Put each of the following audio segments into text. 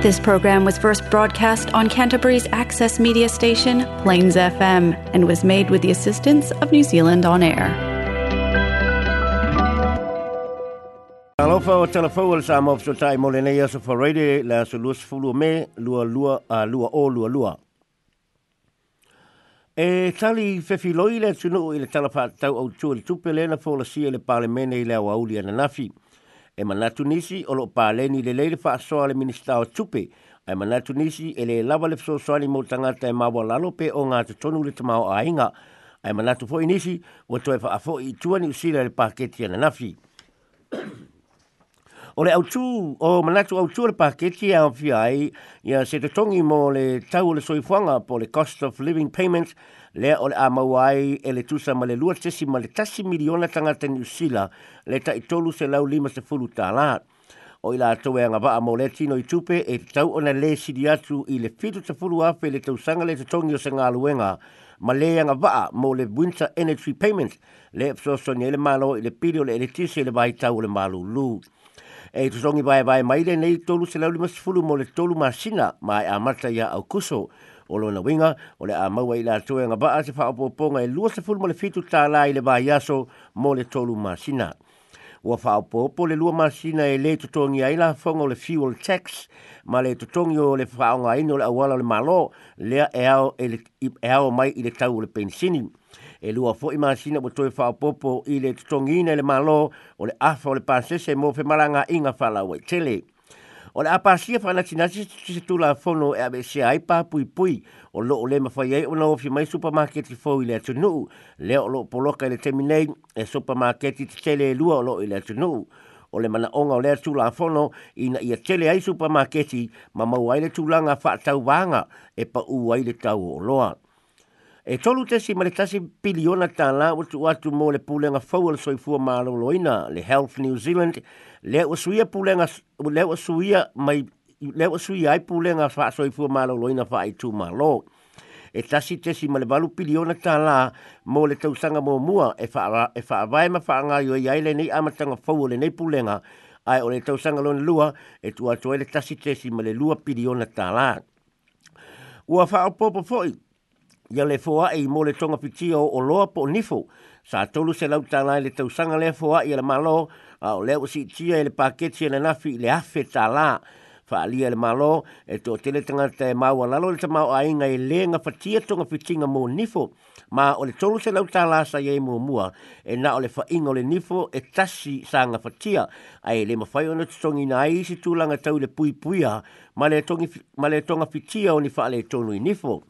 This program was first broadcast on Canterbury's access media station, Plains FM, and was made with the assistance of New Zealand On Air. Alofa o tala fou o le Samoa Fesootai mo lenei aso Friday le aso 20 o Me 22 a 2022. E tali fefiloi le atunuu i le Tala Faatatau Autu o le Tupe lea na folasia i le Palemene i le aoauli ananafi. E manatu nisi o lo o paleni lelei le faasoa a le Minisita o Tupe, ae manatu nisi e le lava le fesoasoani mo tagata e maualalo pe ogatotonu le tamaoaiga, ae manatu foi nisi ua toe faafoi i tua Niu Sila i le paketi ananafi. O le autu, o manatu autu o le paketi e aofia ai ia se totogi mo le tau o le soifuaga po o le cost of living payment lea o le a maua ai e le tusa ma le 2.1 miliona tagata Niu Sila le tai $350. O i latou e agavaa mo lea tino i tupe e tatau ona le sili atu i le $70,000 i le tausaga le totogi o se galuega ma le agavaa mo le Winter Energy Payment lea e fesoasoani ai le Malo i le pili o le eletise i le vaitau o le malulu. E totogi vaevae mai lenei 350 mo le 3 masina ma e amata ia Aukuso. O lona uiga, o le a maua e i latou e agavaa se faaopoopoga e $27 i le vaiaso mo le 3 masina. Ua faaopoopo le 2 masina e le totogia ai lafoga o le fuel tax ma le totogi o le faaaogaina o le auala o le Malo lea e ao, e, le, e ao mai i le tau o le penisini. E 2 foi masina ua toe faaopoopo i le totogiina e le Malo o le afa o le pasese mo femalagaaiga faalauaitele. O le a pasia faanatinati se tulafono e aveesea ai pa puipui o lo o le mafai ai ona ofi mai supamaketi fou i le atunuu, lea o lo o poloka i le taimi nei e supamaketi tetele e 2 o lo o i le atunuu. O le manaoga o lea tulafono ina ia tele ai supamaketi ma maua ai le tulaga faatauvaga e pau ai le tau o oloa. E $3.1 piliona ua tuu atu mo le Pulega Fou o le Soifua Maloloina, le Health New Zealand, lea ua suia pulega, lea ua suia mai lea ua suia ai pulega faasoifua maloloina faaitumalo. E $1.8 piliona mo le tausaga muamua e faavae ma faagaoioi ai lenei amataga fou o lenei pulega, ae o le tausaga lona lua e tuu atu ai le $1.2 piliona. Ua faaopoopo foi ia le foai mo le togafitia o oloa po o nifo. Sa $300 i le tausaga lea foai a le Malo, a o lea ua siitia e le paketi ananafi i le $1,000. Faaalia e le Malo e toatele tagata e maualalo le tamaoaiga e le gafatia togafitiga mo nifo, ma o le $300 sa i ai muamua e na o le faiga o le nifo e tasi sa gafatia, ae le mafai ona totogiina ai isi tulaga tau i le puipuia ma le togafitia o ni faaletonu i nifo.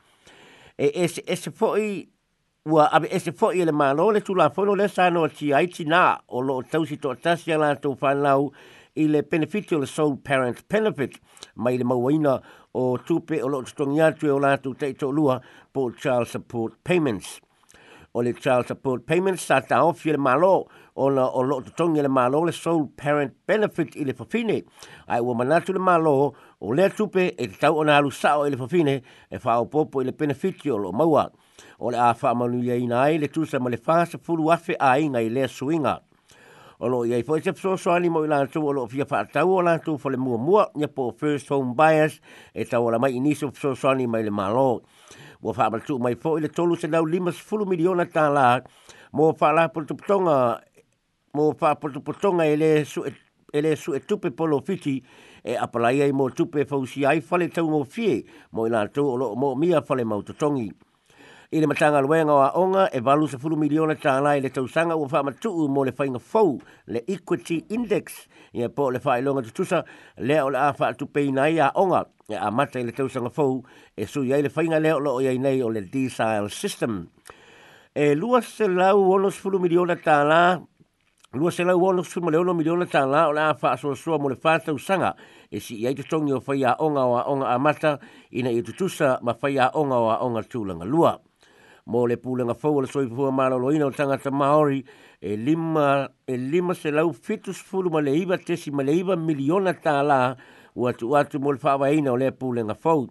E eseese foi ua aveese foi e le Malo le tulafono lea sa noatia ai tinā o lo o tausi toatasi a latou fanau i le penefiti o le sole parent benefit mai le mauaina o tupe o lo o totogi atu e o latou taitoalua po o child support payments. O le child support payments sa taofi e le Malo ona o lo o totogi e le Malo le sole parent benefit i le fafine, ae ua manatu le Malo o lea tupe e tatau ona alu sao i le fafine e faaopoopo i le penefiti o lo o maua. O le a faamanuiaina ai le tusa ma le 40,000 aiga i lea suiga. O lo o i ai foi se fesoasoani mo i latou o lo o fia faatau o latou fale muamua, ia po o first home buyers, e tauala mai i nisi o fesoasoani mai le Malo. Ua faamatuu mai foi le $350 miliona mo faalapotopotoga e le sue tupe polofiti e apalai ai mo tupe e fausia ai fale taugofie mo i latou o lo o moomia fale mautotogi. I le Matagaluega o Aoga e $80 miliona i le tausaga ua faamatuu mo le faiga fou le Equity Index, ia po o le faailoga tutusa lea o le a faatupeina ai aoga e amata i le tausaga fou e sui ai le faiga lea o lo o i ai nei o le Decile System. E $260 miliona $266 miliona o le a faasoasoa mo le 4 tausaga e sii ai totogi o faiaoga o aoga amata ina ia tutusa ma faiaoga o aoga tulaga lua. Mo le Pulega Fou o le Soifua Maloloina o Tagata Maori e $579.9 miliona ua tuu atu mo le faavaeina o lea pulega fou.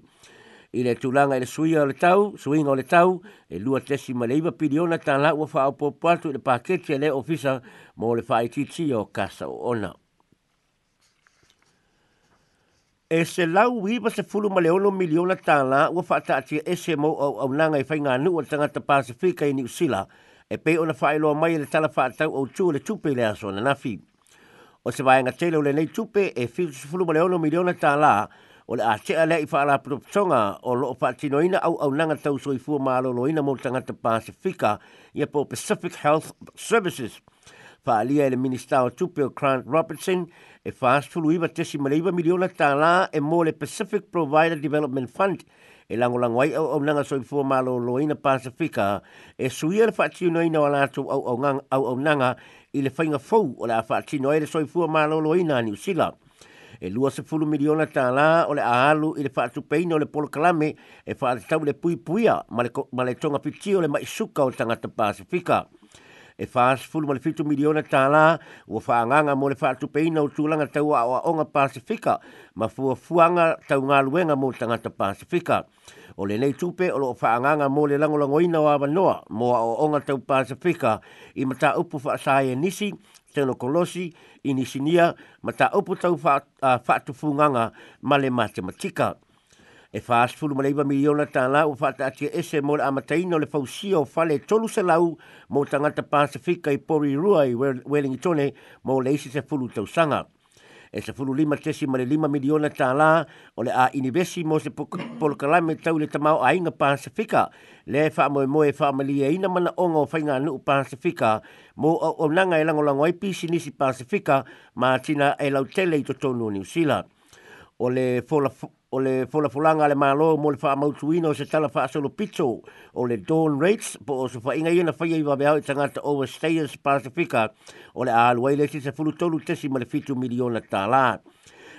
I le tulaga i le suiga o le tau, suiga o le tau, e $2.9 piliona ua faaopoopo atu i le paketi a lea ofisa mo le faaitiitia o kasa oona. E $196 miliona tālā ua faataatia ese mo auaunaga i faiganuu a tagata Pasefika i Niu Sila e pei ona faailoa mai e le Tala Faatatau Autu o le Tupe i le aso ananafi. O se vaega tele o lenei tupe e $76 miliona tālā o le a tea lea i faalapotopotoga o loo faatinoina auaunaga tau soifua maloloina mo tagata Pasefika ia po o Pacific Health Services. Faaalia e le Minisita o Tupe o Grant Robertson e $49.9 miliona tālā e mo le Pacific Provider Development Fund e lagolago ai auaunaga soifua maloloina Pasefika e suia le faatinoina o a latou auaunaga i le faiga fou o le a faatino ai le soifua maloloina a Niu Sila. E $20 miliona tālā o le a alu i le faatupeina o le polokalame e faatatau i le puipuia ma le togafitia o le mai suka o tagata Pasefika. E $47 miliona tālā ua faaagaaga mo le faatupeina o tulaga tau aoaoga Pasefika ma fuafuaga tau galuega mo tagata Pasefika. O lenei tupe o loo faaagaaga mo le lagolagoina o avanoa mo aoaoga tau Pasefika i mataupu faasaienisi, tenokolosi, inisinia, mataupu tau faatufugaga ma le matematika. E $49 miliona tālā ua faataatia ese mo le amataina o le fausia o fale 300 mo tagata Pasefika i Porirua i Wellingtone mo le isi 10 tausaga. E $15.5 miliona tālā o le a inivesi mo se polokalame tau i le tamaoaiga Pasefika lea e faamoemoe e faamalieina manaoga o faiganuu Pasefika mo auaunaga e lagolago ai pisinisi Pasefika ma atinae lautele i totonu o Niu Sila. O le folafolaga a le Malo mo le faamautuina o se tala faasolopito o le Dawn Rates po o osofaiga ia na faia i vaveao i tagata overstayers Pasefika o le a alu ai le isi $13.7 miliona tālā.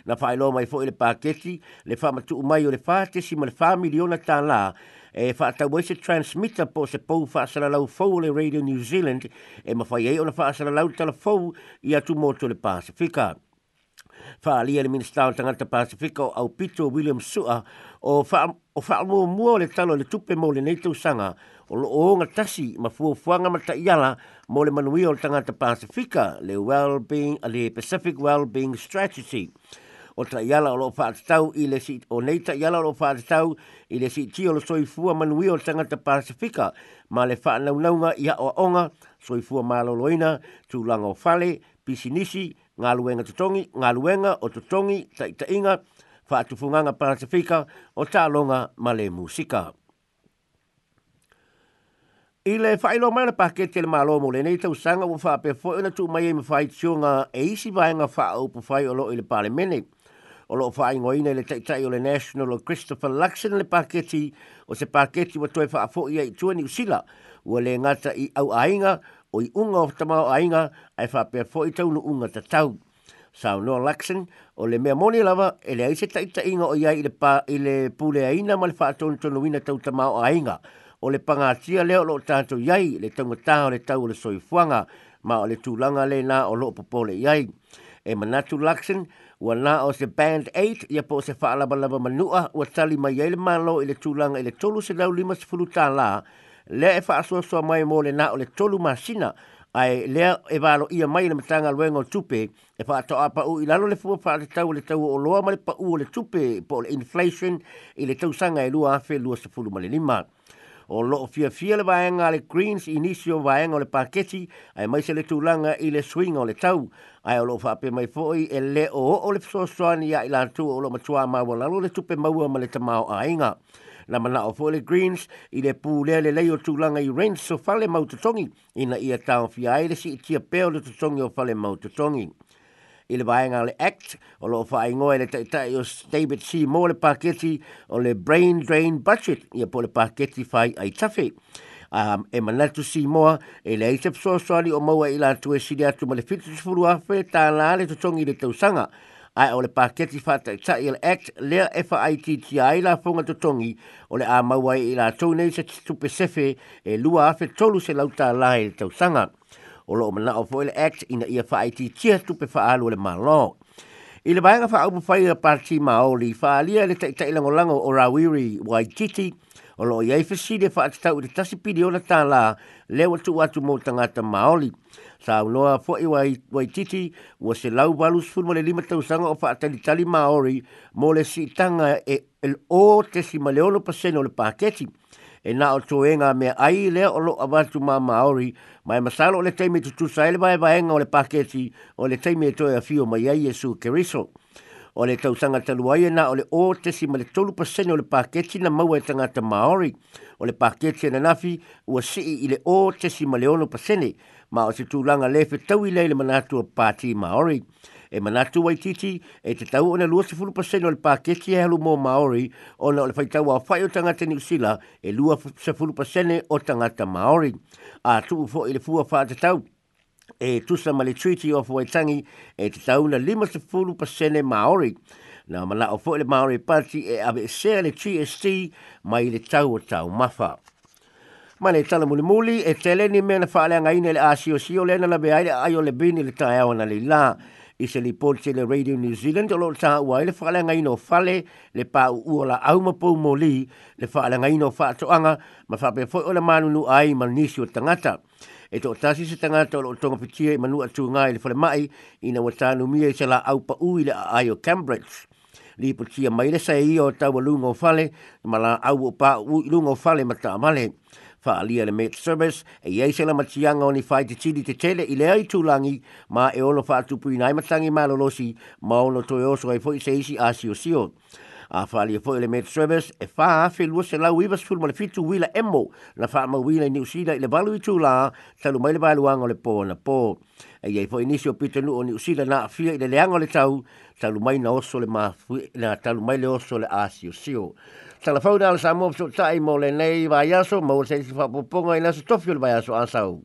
Na faailoa mai foi le paketi le faamatuu mai o le $4.4 miliona tālā e faatau ai se transmitter po o se pou faasalalau fou o le Radio New Zealand e mafai ai ona faasalalau tala fou i atumotu o le Pasefika. Faaalia le Minisita o Tagata Pasefika o Aupito William Su'a o faamuamua o le Tala o le Tupe mo lenei tausaga o loo ogatasi ma fuafuaga ma taiala mo le manuia o le tagata Pasefika, le Wellbeing, le Pacific Wellbeing Strategy. O taiala o loo faatatau i le o nei taiala o loo faatatau i le siitia o le soifua manuia o le tagata Pasefika ma le faanaunauga i aoaoga, soifua maloloina, tulaga o fale, pisinisi, galuega totogi, galuega o totogi, taitaiga, faatufugaga Pasefika o taaloga ma le musika. I le faailoa mai o le paketi a le Malo mo lenei tausaga ua faapea foi ona tuu mai ai ma faitioga e isi vaega faaupufai o loo i le Palemene. O loo faaigoaina e le Taitai o le National o Christopher Luxon le paketi o se paketi ua toe faafoi ai i tua Niu Sila ua le gata i auaiga o iuga o tamaoaiga ae faapea foi taunuuga tatau. Saunoa Luxon, o le mea moni lava e leai se taitaiga o i ai i le puleaina ma le faatonutonuina tau tamaoaiga. O le pagatia lea o loo tatou i ai, le taugatā o le tau o le soifuaga, ma o le tulaga lena o loo popole i ai. E manatu Luxon, ua na o se Band 8 ia po o se faalavalava manua ua tali mai ai le Malo i le tulaga i le $350 lea e faasoasoa mai mo le na o le 3 masina, ae lea e valoia mai le Matagaluega o Tupe e faatoa pau i lalo le fua faatatau o le tau o oloa ma le pau o le tupe po o le inflation i le tausaga e 2025. O loo fiafia le vaega a le Greens i nisi o vaega o le paketi aemaise le tulaga i le suiga o le tau, ae o loo faapea mai foi e le o oo le fesoasoani ia i latou o loo matuā maualalo le tupe maua ma le tamaoaiga. Na manao foi le Greens i le pulea lelei o tulaga i rents o fale mau totogi ina ia taofia ai le siitia pea o le totogi o fale mau totogi. I le vaega o le Act, o loo faaigoa e le Taitai o David Seymour le paketi o le Brain Drain Budget, ia po o le paketi fai aitafe. E manatu Seymour e leai se fesoasoani o maua i latou e sili atu ma le $70,000 tālā le totogi i le tausaga, ae o le paketi faataitai o le Act lea e faaitiitia ai lafoga totogi o le a maua ai i latou nei se tupe sefe e $2,300 tālā i le tausaga. O loo manao foi le Act ina ia faaitiitia tupe faaalu a le Malo. I le vaega faaupufai a Pati Maori, faaalia e le Taitai Lagolago o Rawiri Waititi O lo o i ai fesili e faatatau i le $1 piliona lea ua tuu atu mo tagata Māori. Saunoa foi Waititi ua 185 tausaga o faatalitali Māori mo le siitaga e 0.6% o le paketi. E na o toega mea ai lea o lo avatu ma Māori, ma e masalo o le taimi tutusa ai le vaevaega o le paketi o le taimi e toe afio mai ai Iesu Keriso. O le tausaga talu ai e na o le 0.3% o le paketi na maua e tagata Māori. O le paketi ananafi ua sii i le 0.6%, ma o se tulaga le fetaui lea i le manatu o Pāti Māori. E manatu Waititi e tatau ona 20% o le paketi e alu mo Māori ona o le faitau aofai o tagata Niu Sila e 20% o tagata Māori. A tuu foi i le fua faatatau e tusa ma le Treaty of Waitangi e tatau na 50% Māori. Na manao foi le Māori Party e aveesea le GST mai le tau o taumafa. Ma le tala mulimuli, e tele ni mea na faaleagaina i le asiosio lea na lavea ai le aai o le vini i le taeao analeila. I se lipoti a le Radio New Zealand o lo o taua ai le faaleagaina o fale, le pauu o laau ma poumoli, le faaleagaina o faatoaga, ma faapea foi ona manunu ai ma nisi o tagata. E toatasi se tagata o lo o togafitia i Manuatuga i le falemai ina ua tanumia i se laau pau i le aai o Cambridge. Lipotia mai le saeia o taualuga o fale ma laau o pauu i luga o fale ma taavale. Faaalia le Met Service e i ai se lamatiaga o ni faititili tetele i lea itulagi ma e ono faatupuina ai matagi malolosi ma ono toe oso ai foi se isi asiosio. A faaalia foi le Met Service e 4,297 uila emo na faamauina i Niu Sila i le 8 itula talu mai le vaeluaga o le po anapo. E i ai foi nisi o pitonuu o Niu Sila na aafia i le leaga o le tau talu mai na oso le mafue, na talu mai le oso le asiosio. Tala fou na le Samoa fesootai mo lenei vaiaso, maua se isi faaopoopoga i le aso tofi o le vaiaso a sau.